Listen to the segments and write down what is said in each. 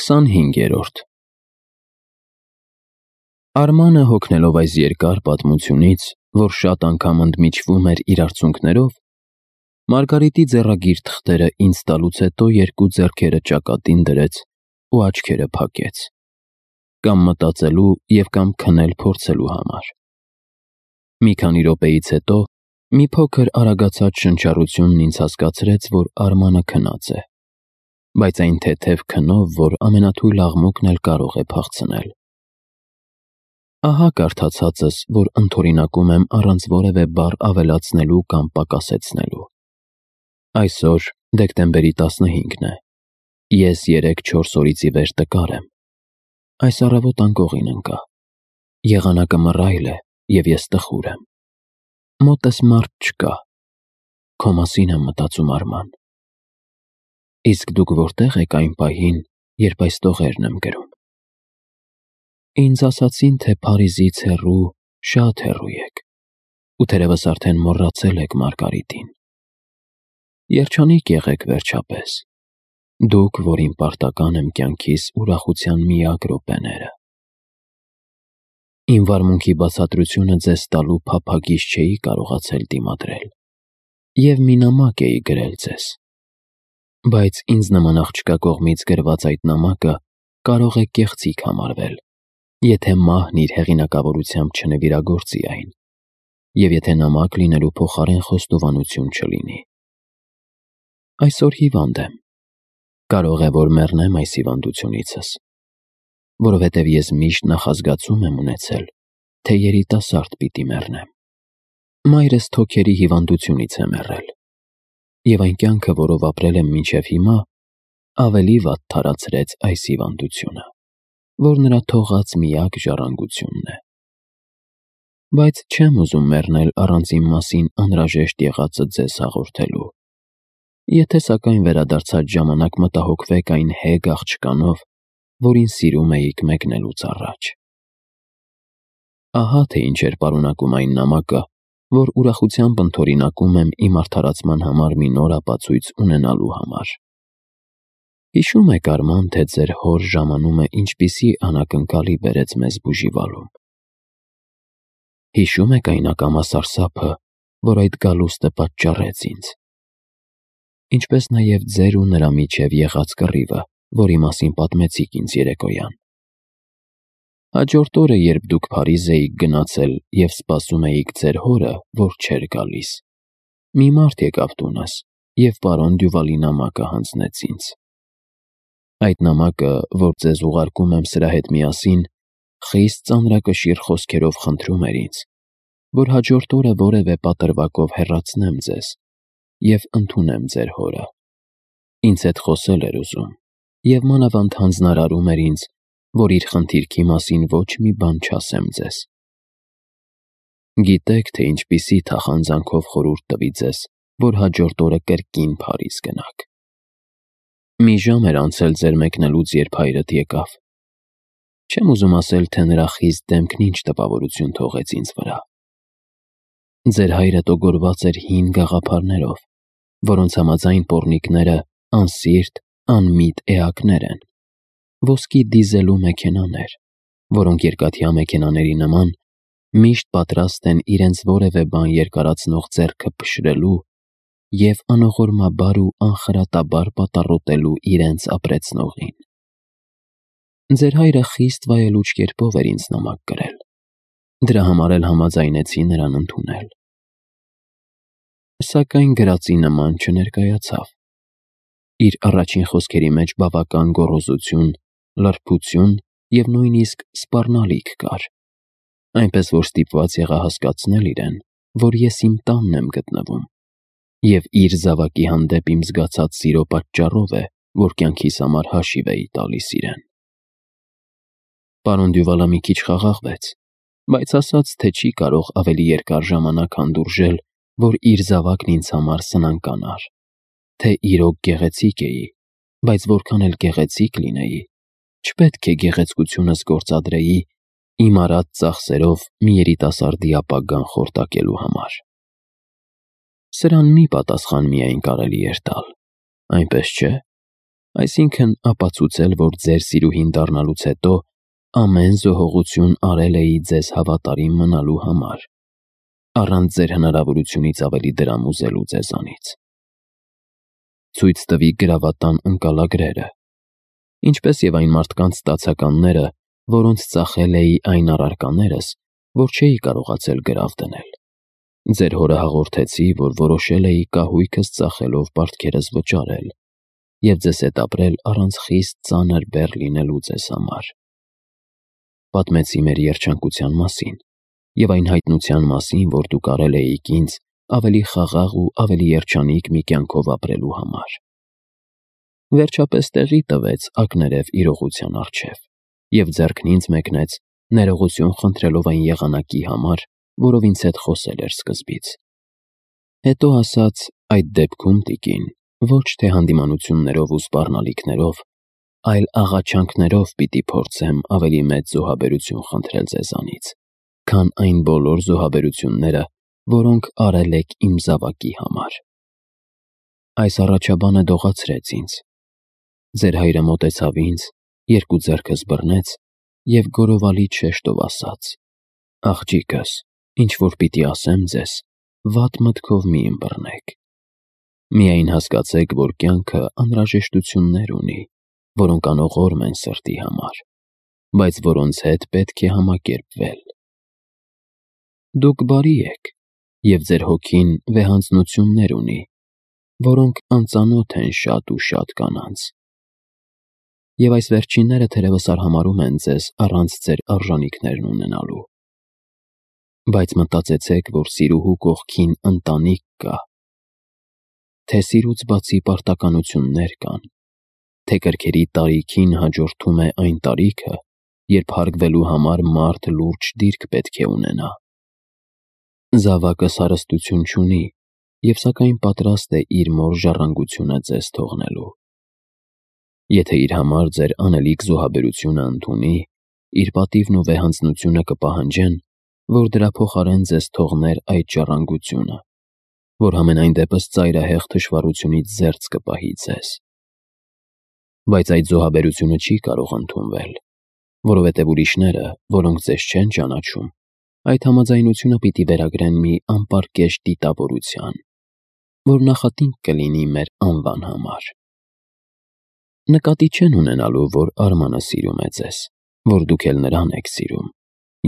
25-րդ Արմանը հոգնելով այս երկար պատմությունից, որ շատ անգամ ընդմիջվում էր իր արցունքներով, Մարգարիտի ձեռագիր թղթերը ինձ տալուց հետո երկու ձեռքերը ճակատին դրեց ու աչքերը փակեց, կամ մտածելու և կամ քնել փորձելու համար։ Մի քանի րոպեից հետո մի փոքր արագացած շնչառությունն ինձ հասկացրեց, որ Արմանը քնած է, բայց այն թեթև քնով, որ ամենաթույլ աղմուկն էլ կարող է փախցնել։ Ահա կարդացածս, որ ընդօրինակում եմ առանց որևէ բառ ավելացնելու կամ պակասեցնելու։ Այսօր դեկտեմբերի 15-ն է։ Ես 3-4 օրից ի վեր տկար եմ։ Այս առավոտ անկողին ընկա։ Եղանակը մռայլ է, և ես տխուր եմ։ Մոտս մարդ չկա։ Քո մասին եմ մտածում, Արման։ Իսկ դուք որտե՞ղ եք այն պահին, երբ այս տողերն եմ գրում։ Ինձ ասացին, թե Փարիզից հեռու, շատ հեռու եք, ու թերևս արդեն մոռացել եք Մարգարիտին։ Երջանիկ եղեք վերջապես, դուք, որին պարտական եմ կյանքիս ուրախության միակ րոպեները։ Իմ վարմունքի բացատրությունը ձեզ տալու փափագից չէի կարողացել դիմադրել, և մի նամակ էի գրել ձեզ։ Բայց ինձ նման աղջկա կողմից գրված այդ նամակը կարող է կեղծիք համարվել, եթե մահն իր հեղինակավորությամբ չնվիրագործի այն, և եթե նամակ լինելու փոխարեն խոստովանություն չլինի։ Այսօր հիվանդ եմ։ Կարող է, որ մեռնեմ այս հիվանդությունիցս, որովհետև ես միշտ նախազգացում եմ ունեցել, թե երիտասարդ պիտի մեռնեմ։ Մայրս թոքերի հիվանդությունից է մեռել, և այն կյանքը, որով ապրել եմ մինչև հիմա, ավելի վատ թարացրեց այս հիվանդությունը, որ նրա թողած միակ ժառանգությունն է։ Բայց չեմ ուզում մեռնել առանց իմ մասին անհրաժեշտ եղածը ձեզ հաղորդելու։ Եթե սակայն վերադարձած ժամանակ մտահոգվեք այն հեգ աղջկանով, որին սիրում էիք մեկնելուց առաջ։ Ահա թե ինչ էր պարունակում այն նամակը, որ ուրախությամբ ընդօրինակում եմ իմ արդարացման համար մի նոր ապացույց ունենալու համար։ Հիշո՞ւմ եք, Արման, թե ձեր հոր ժամանումը ինչպիսի անակնկալի բերեց մեզ բուժիվալում։ Հիշո՞ւմ եք այն ակամա սարսափը, որ այդ գալուստը պատճառեց ինձ։ Ինչպես նաև ձեր ու նրա միջև եղած կռիվը, որի մասին պատմեցիք ինձ երեկոյան։ Հաջորդ օրը, երբ դուք Փարիզ էիք գնացել և սպասում էիք ձեր հորը, որ չէր գալիս, մի մարդ եկավ տունս և պարոն Դյուվալի նամակը հանձնեց ինձ։ Այդ նամակը, որ ձեզ ուղարկում եմ սրա հետ միասին, խիստ ծանրակշիռ խոսքերով խնդրում էր ինձ, որ հաջորդ օրը որևէ պատրվակով հեռացնեմ ձեզ և ընդունեմ ձեր հորը։ Ինձ հետ խոսել էր ուզում և մանավանդ հանձնարարում էր ինձ, որ իր խնդիրքի մասին ոչ մի բան չասեմ ձեզ։ Գիտեք, թե ինչպիսի թախանձանքով խորհուրդ տվի ձեզ, որ հաջորդ օրը կրկին Փարիզ գնաք։ Մի ժամ էր անցել ձեր մեկնելուց, երբ հայրդ եկավ։ Չեմ ուզում ասել, թե նրա խիստ դեմքն ինչ տպավորություն թողեց ինձ վրա։ Ձեր հայրը տոգորված էր հին գաղափարներով, որոնց համաձայն պոռնիկները անսիրտ, անմիտ էակներ են, ոսկի դիզելու մեքենաներ, որոնք երկաթյա մեքենաների նման միշտ պատրաստ են իրենց որևէ բան երկարացնող ձեռքը փշրելու և անողորմաբար ու անխրատաբար պատառոտելու իրենց ապրեցնողին։ Ձեր հայրը խիստ վայելուչ կերպով էր ինձ նամակ գրել, դրա համար էլ համաձայնեցի նրան ընդունել։ Սակայն գրածի նման չներկայացավ։ Իր առաջին խոսքերի մեջ բավական գոռոզություն, լրբություն և նույնիսկ սպառնալիք կար, այնպես որ ստիպված եղա հասկացնել իրեն, որ ես իմ տանն եմ գտնվում, և իր զավակի հանդեպ իմ զգացած սիրո պատճառով է, որ կյանքիս համար հաշիվ էի տալիս իրեն։ Պարոն Դյուվալը մի քիչ խաղաղվեց, բայց ասաց, թե չի կարող ավելի երկար ժամանակ հանդուրժել, որ իր զավակն ինձ համար սնանկանար, թե իրոք գեղեցիկ էի, բայց որքան էլ գեղեցիկ լինեի, չպետք է գեղեցկությունս գործադրեի իմ արած ծախսերով մի երիտասարդի ապագան խորտակելու համար։ Սրան մի պատասխան միայն կարելի էր տալ, այնպես չէ։ Այսինքն ապացուցել, որ ձեր սիրուհին դառնալուց հետո ամեն զոհողություն արել էի ձեզ հավատարիմ մնալու համար, առանց ձեր հնարավորությունից ավելի դրամ ուզելու ձեզանից։ Ցույց տվի գրավատան ընկալագրերը, ինչպես և այն մարդկանց ստացականները, որոնց ծախել էի այն առարկաներս, որ չէի կարողացել գրավ դնել։ Ձեր հորը հաղորդեցի, որ որոշել էի կահույքս ծախելով պարտքերս վճարել և ձեզ հետ ապրել առանց խիստ ծանր բեռ լինելու ձեզ համար։ Պատմեցի մեր երջանկության մասին և այն հայտնության մասին, որ դուք արել էիք ինձ ավելի խաղաղ ու ավելի երջանիկ մի կյանքով ապրելու համար։ Վերջապես տեղի տվեց ակներև իրողության առջև և ձեռքն ինձ մեկնեց ներողություն խնդրելով այն եղանակի համար, որով ինձ հետ խոսել էր սկզբից։ Հետո ասաց. «Այդ դեպքում, տիկին, ոչ թե հանդիմանություններով ու սպառնալիքներով, այլ աղաչանքներով պիտի փորձեմ ավելի մեծ զոհաբերություն խնդրել ձեզանից, քան այն բոլոր զոհաբերությունները, որոնք արել եք իմ զավակի համար»։ Այս առաջաբանը դողացրեց ինձ։ Ձեր հայրը մոտեցավ ինձ, երկու ձեռքս բռնեց և գորովալի շեշտով ասաց. «Աղջիկս, ինչ որ պիտի ասեմ ձեզ, վատ մտքով մի ըմբռնեք։ Միայն հասկացեք, որ կյանքը անհրաժեշտություններ ունի, որոնք անողորմ են սրտի համար, բայց որոնց հետ պետք է համակերպվել։ Դուք բարի եք, և ձեր հոգին վեհանձնություններ ունի, որոնք անծանոթ են շատ ու շատ կանանց։ Եվ այս վերջինները թերևս արհամարհում են ձեզ առանց ձեր արժանիքներն ունենալու։ Բայց մտածեցեք, որ սիրուհու կողքին ընտանիք կա, թե սիրուց բացի պարտականություններ կան, թե կրքերի տարիքին հաջորդում է այն տարիքը, երբ հարգվելու համար մարդ լուրջ դիրք պետք է ունենա։ Զավակս հարստություն չունի և սակայն պատրաստ է իր մոր ժառանգությունը ձեզ թողնելու։ Եթե իր համար ձեր անելիք զոհաբերությունը ընդունի, իր պատիվն ու վեհանձնությունը կպահանջեն, որ դրա փոխարեն ձեզ թողներ այդ ժառանգությունը, որ համենայն դեպս ծայրահեղ թշվառությունից զերծ կպահի ձեզ։ Բայց այդ զոհաբերությունը չի կարող ընդունվել, որովհետև ուրիշները, որոնք ձեզ չեն ճանաչում, այդ համաձայնությունը պիտի վերագրեն մի անպարկեշտ դիտավորության, որ նախատինք կլինի մեր անվան համար։ Նկատի չեն ունենալու, որ Արմանը սիրում է ձեզ, որ դուք էլ նրան եք սիրում,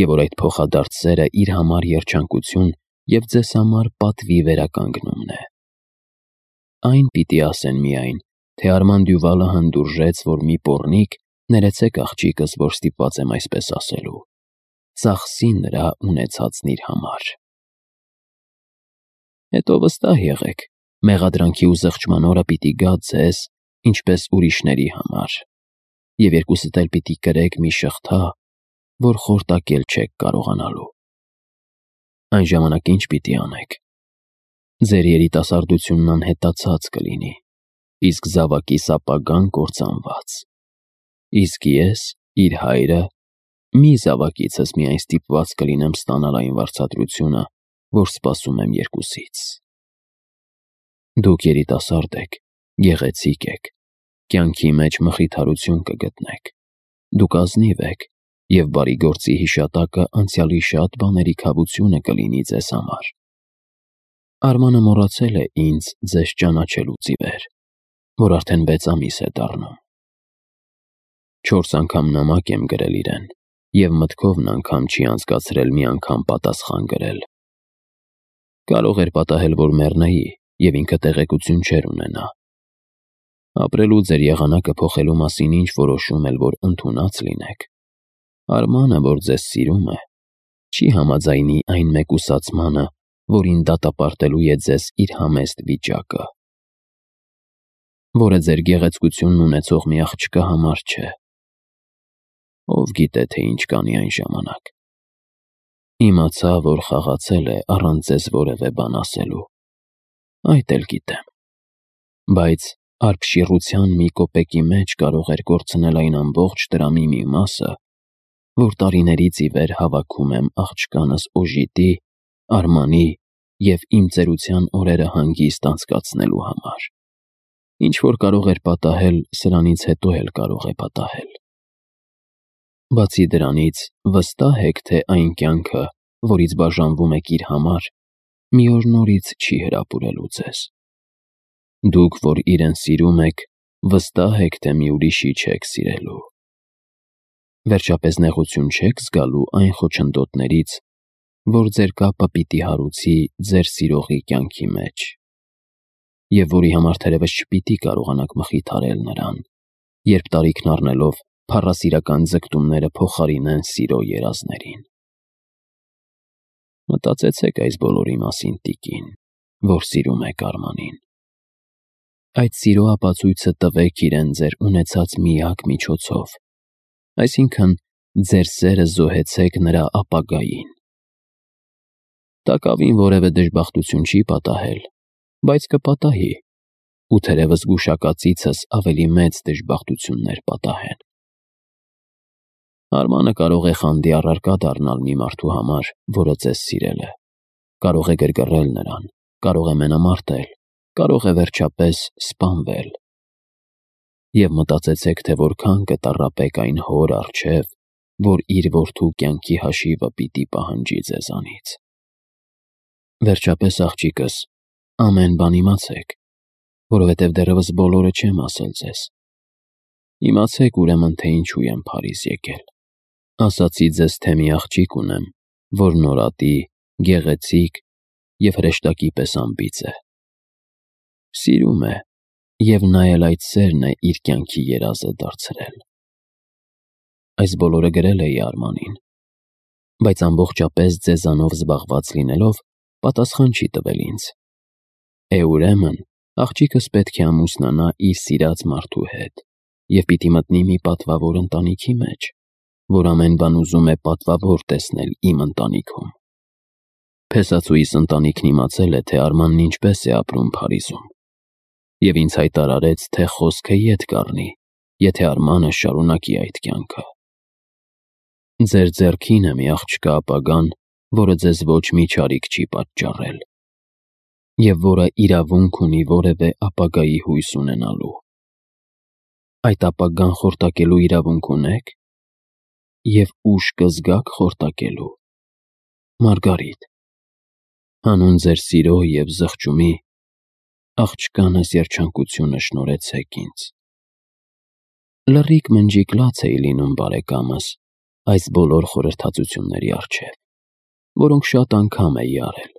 և որ այդ փոխադարձ սերը իր համար երջանկություն և ձեզ համար պատվի վերականգնումն է։ Այն պիտի ասեն միայն, թե Արման Դյուվալը հանդուրժեց, որ մի պոռնիկ, ներեցեք աղջիկս, որ ստիպված եմ այսպես ասելու, ծախսի նրա ունեցածն իր համար։ Հետո վստահ եղեք, մեղադրանքի ու զղջման օրը պիտի գա ձեզ, ինչպես ուրիշների համար, և երկուսդ էլ պիտի կրեք մի շղթա, որ խորտակել չեք կարողանալու։ Այն ժամանակ ինչ պիտի անեք։ Ձեր երիտասարդությունն անհետացած կլինի, իսկ զավակիս ապագան կործանված։ Իսկ ես, իր հայրը, մի զավակիցս միայն ստիպված կլինեմ ստանալ այն վարձատրությունը, որ սպասում եմ երկուսից։ Դուք երիտասարդ եք, գեղեցիկ եք, կյանքի մեջ մխիթարություն կգտնեք, դուք ազնիվ եք, և բարի գործի հիշատակը անցյալի շատ բաների քավությունը կլինի ձեզ համար։ Արմանը մոռացել է ինձ ձեզ ճանաչելուց ի վեր, որ արդեն 6 ամիս է դառնում։ 4 անգամ նամակ եմ գրել իրեն, և մտքովն անգամ չի անցկացրել մի անգամ պատասխան գրել։ Կարող էր պատահել, որ մեռնեի, և ինքը տեղեկություն չէր ունենա։ Ապրելու ձեր եղանակը փոխելու մասին ինչ որոշում էլ որ ընդունած լինեք, Արմանը, որ ձեզ սիրում է, չի համաձայնի այն մեկուսացմանը, որին դատապարտելու է ձեզ իր համեստ վիճակը, որը ձեր գեղեցկությունն ունեցող մի աղջկա համար չէ։ Ով գիտե, թե ինչ կանի այն ժամանակ։ Իմացա, որ խաղացել է առանց ձեզ որևէ բան ասելու։ Այդ էլ գիտեմ։ Բայց արբշիռության մի կոպեկի մեջ կարող էր կորցնել այն ամբողջ տրամի մի մասը, որ տարիներից ի վեր հավաքում եմ աղջկանս Օժիտի, Արմանի և իմ ծերության օրերը հանգիստ անցկացնելու համար։ Ինչ որ կարող էր պատահել, սրանից հետո էլ կարող է պատահել։ Բացի դրանից, վստահ եք, թե այն կյանքը, որից բաժանվում եք իր համար, մի օր նորից չի հրապուրելու ձեզ։ Դուք, որ իրեն սիրում եք, վստահ եք, թե մի ուրիշի չեք սիրելու։ Վերջապես նեղություն չեք զգալու այն խոչընդոտներից, որ ձեր կապը պիտի հարուցի ձեր սիրողի կյանքի մեջ, և որի համար թերևս չպիտի կարողանաք մխիթարել նրան, երբ տարիքն առնելով փառասիրական ձգտումները փոխարինեն սիրո երազներին։ Մտածեցեք այս բոլորի մասին, տիկին, որ սիրում եք Արմանին։ Այդ սիրո ապացույցը տվեք իրեն ձեր ունեցած միակ միջոցով, այսինքն ձեր սերը զոհեցեք նրա ապագային։ Տակավին որևէ դժբախտություն չի պատահել, բայց կպատահի, ու թերևս գուշակածիցս ավելի մեծ դժբախտություններ պատահեն։ Արմանը կարող է խանդի առարկա դառնալ մի մարդու համար, որը ձեզ սիրել է, կարող է գրգռել նրան, կարող է մենամարտել, կարող է վերջապես սպանվել։ Եվ մտածեցեք, թե որքան կտառապեք այն հոր առջև, որ իր որդու կյանքի հաշիվը պիտի պահանջի ձեզանից։ Վերջապես, աղջիկս, ամեն բան իմացեք, որովհետև դեռևս բոլորը չեմ ասել ձեզ։ Իմացեք ուրեմն, թե ինչու եմ Փարիզ եկել։ Ասացի ձեզ, թե մի աղջիկ ունեմ, որ նորատի, գեղեցիկ և հրեշտակի պես անբիծ է։ Սիրում է, և նա էլ այդ սերն է իր կյանքի երազը դարձրել։ Այս բոլորը գրել էի Արմանին, բայց ամբողջապես ձեզանով զբաղված լինելով, պատասխան չի տվել ինձ։ Ուրեմն, աղջիկս պետք է ամուսնանա իր սիրած մարդու հետ և պիտի մտնի մի պատվավոր ընտանիքի մեջ, որ ամեն բան ուզում է պատվավոր տեսնել իմ ընտանիքում։ Փեսացուիս ընտանիքն իմացել է, թե Արմանն ինչպես է ապրում Փարիզում, և ինձ հայտարարեց, թե խոսքը ետ կառնի, եթե Արմանը շարունակի այդ կյանքը։ Ձեր ձեռքին է մի աղջկա ապագան, որը ձեզ ոչ մի չարիք չի պատճառել, և որը իրավունք ունի որևէ ապագայի հույս ունենալու։ Այդ ապագան խորտակելու իրավունք ունեք, և ուժ կզգաք խորտակելու։ Մարգարիտ, հանուն ձեր սիրո և զղջումի, աղջկանս երջանկությունը շնորհեցեք ինձ։ Լռիկ մնջիկ լաց էի լինում բարեկամս այս բոլոր խորհրդածությունների առջև, որոնք շատ անգամ էի արել,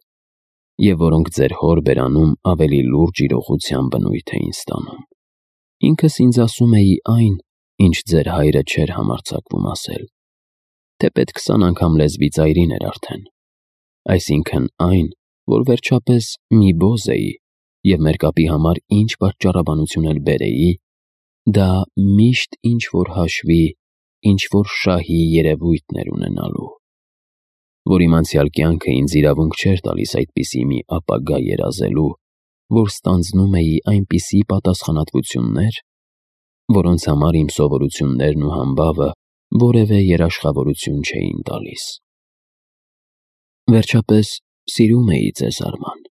և որոնք ձեր հոր բերանում ավելի լուրջ իրողության բնույթ էին ստանում։ Ինքս ինձ ասում էի այն, ինչ ձեր հայրը չէր համարձակվում ասել, թեպետ 20 անգամ լեզվի ծայրին էր արդեն, այսինքն այն, որ վերջապես մի բոզ էի, և մեր կապի համար ինչ պատճառաբանություն էլ բերեի, դա միշտ ինչ-որ հաշվի, ինչ-որ շահի երևույթն էր ունենալու, որ իմ անցյալ կյանքը ինձ իրավունք չէր տալիս այդպիսի մի ապագա երազելու, որ ստանձնում էի այնպիսի պատասխանատվություններ, որոնց համար իմ սովորություններն ու համբավը որևէ երաշխավորություն չէին տալիս։ Վերջապես, սիրում էի ձեզ, Արման։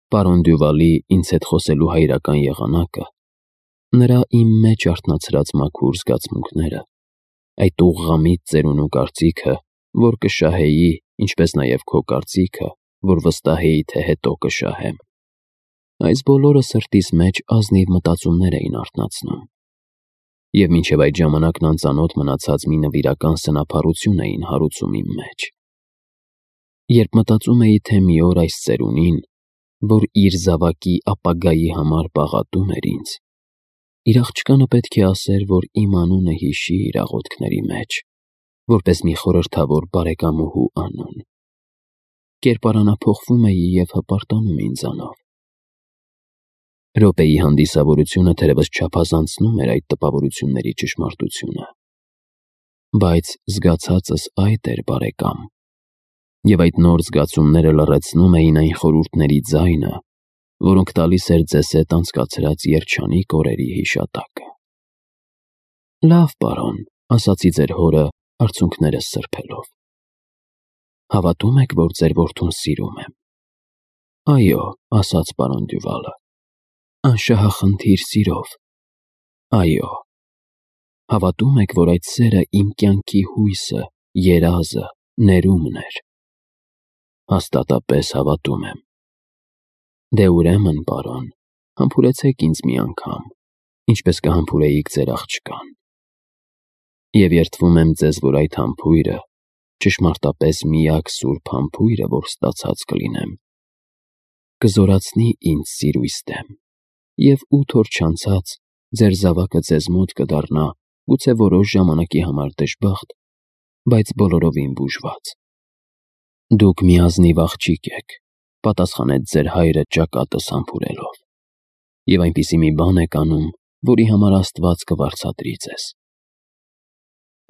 Պարոն Դյուվալի ինձ հետ խոսելու հայրական եղանակը, նրա իմ մեջ արթնացրած մաքուր զգացմունքները, այդ ուղղամիտ ծերունու կարծիքը, որ կշահեի, ինչպես նաև քո կարծիքը, որ վստահ էի, թե հետո կշահեմ, այս բոլորը սրտիս մեջ ազնիվ մտածումներ էին արթնացնում, և մինչև այդ ժամանակն անծանոթ մնացած մի նվիրական սնափառություն էին հարուցում իմ մեջ։ Երբ մտածում էի, թե մի օր այս ծերունին, որ իր զավակի ապագայի համար պաղատում էր ինձ, իր աղջկանը պետք է ասեր, որ իմ անունը հիշի իր աղոթքների մեջ, որպես մի խորհրդավոր բարեկամուհու անուն, կերպարանափոխվում էի և հպարտանում ինձանով։ Րոպեի հանդիսավորությունը թերևս չափազանցնում էր այդ տպավորությունների ճշմարտությունը, բայց զգացածս այդ էր, բարեկամ, և այդ նոր զգացումները լռեցնում էին այն խորհուրդների ձայնը, որոնք տալիս էր ձեզ հետ անցկացրած երջանիկ օրերի հիշատակը։ Լավ, պարոն, ասացի ձեր հորը արցունքներս սրբելով։ Հավատում եք, որ ձեր որդուն սիրում եմ։ Այո, ասաց պարոն Դյուվալը։ Անշահախնդիր սիրով։ Այո, հավատում եք, որ այդ սերը իմ կյանքի հույսը, երազը, ներումն էր։ Հաստատապես հավատում եմ։ Դե ուրեմն, պարոն, համբուրեցեք ինձ մի անգամ, ինչպես կհամբուրեիք ձեր աղջկան։ Եվ երդվում եմ ձեզ, որ այդ համբույրը, ճշմարտապես միակ սուրբ համբույրը, որ ստացած կլինեմ, կզորացնի ինձ սիրույս դեմ, և 8 օր չանցած ձեր զավակը ձեզ մոտ կդառնա, գուցե որոշ ժամանակի համար դժբախտ, բայց բոլորովին բուժված։ Դուք մի ազնիվ աղջիկ եք, պատասխանեց ձեր հայրը ճակատս համբուրելով, և այնպիսի մի բան եք անում, որի համար Աստված կվարձատրի ձեզ։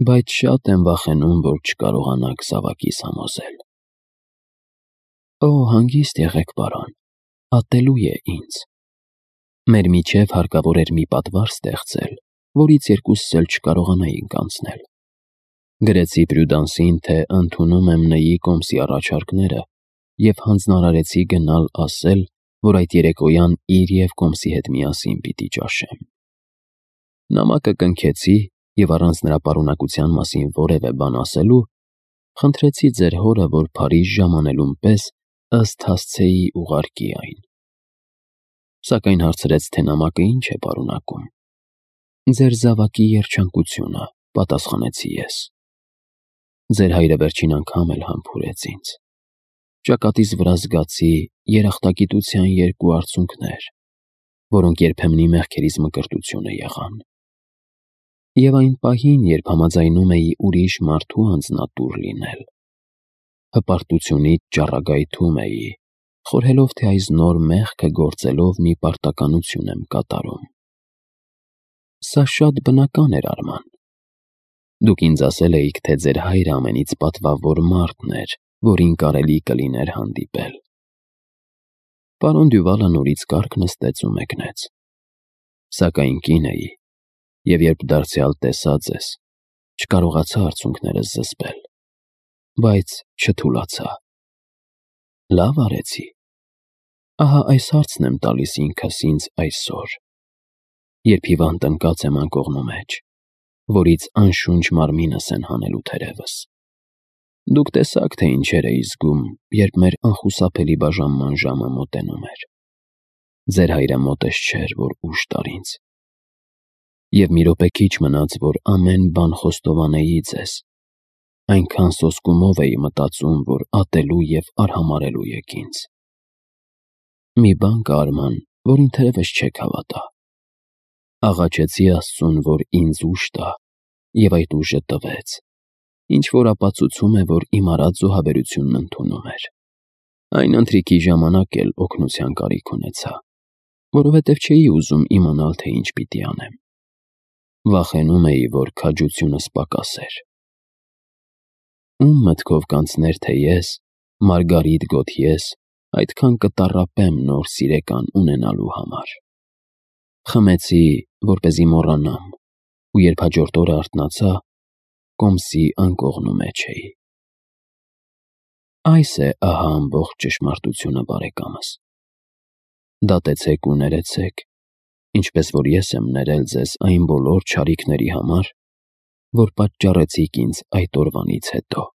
Բայց շատ եմ վախենում, որ չկարողանաք զավակիս համոզել։ Օ, հանգիստ եղեք, պարոն, ատելու է ինձ։ Մեր միջև հարկավոր էր մի պատվար ստեղծել, որից երկուսս էլ չկարողանայինք անցնել։ Գրեցի Պրյուդանսին, թե ընդունում եմ Նեի կոմսի առաջարկները և հանձնարարեցի գնալ ասել, որ այդ երեկոյան իր և կոմսի հետ միասին պիտի ճաշեմ։ Նամակը կնքեցի և առանց նրա պարունակության մասին որևէ բան ասելու, խնդրեցի ձեր հորը, որ Փարիժ ժամանելուն պես ըստ հասցեի ուղարկի այն։ Սակայն հարցրեց, թե նամակը ինչ է պարունակում։ Ձեր զավակի երջանկությունը, պատասխանեցի ես։ Ձեր հայրը վերջին անգամ էլ համբուրեց ինձ։ Ճակատիս վրա զգացի երախտագիտության 2 արցունքներ, որոնք երբեմնի մեղքերիս մկրտությունը եղան։ Եվ այն պահին, երբ համաձայնում էի ուրիշ մարդու անձնատուր լինել, հպարտությունից ճառագայթում էի, խորհելով, թե այս նոր մեղքը գործելով մի պարտականություն եմ կատարում։ Սա շատ բնական էր, Արման։ Դուք ինձ ասել էիք, թե ձեր հայրը ամենից պատվավոր մարդն էր, որին կարելի կլիներ հանդիպել։ Պարոն Դյուվալը նորից կառք նստեց ու մեկնեց։ Սակայն կին էի, և երբ դարձյալ տեսա ձեզ, չկարողացա արցունքներս զսպել, բայց չթուլացա։ Լավ արեցի։ Ահա այս հարցն եմ տալիս ինքս ինձ այսօր, երբ հիվանդ ընկած եմ անկողնու մեջ, որից անշունչ մարմինս են հանելու թերևս։ Դուք տեսաք, թե ինչեր էի զգում, երբ մեր անխուսափելի բաժանման ժամը մոտենում էր։ Ձեր հայրը մոտես չէր, որ ուժ տար ինձ։ Եվ մի րոպե քիչ մնաց, որ ամեն բան խոստովանեի ձեզ, այնքան սոսկումով էի մտածում, որ ատելու և արհամարհելու եք ինձ։ Մի բան կա, Արման, որին թերևս չեք հավատա։ Աղաչեցի Աստծուն, որ ինձ ուժ տա, և այդ ուժը տվեց, ինչ-որ ապացուցում է, որ իմ արած զոհաբերությունն ընդունում էր։ Այն ընթրիքի ժամանակ էլ օգնության կարիք ունեցա, որովհետև չէի ուզում իմանալ, թե ինչ պիտի անեմ։ Վախենում էի, որ քաջությունս պակասեր։ Ում մտքով կանցներ, թե ես, Մարգարիտ Գոթյես, այդքան կտառապեմ նոր սիրեկան ունենալու համար։ Խմեցի, որպեսզի մոռանամ, ու երբ հաջորդ օրը արթնացա, կոմսի անկողնու մեջ էի։ Այս է ահա ամբողջ ճշմարտությունը, բարեկամս։ Դատեցեք ու ներեցեք, ինչպես որ ես եմ ներել ձեզ այն բոլոր չարիքների համար, որ պատճառեցիք ինձ այդ օրվանից հետո։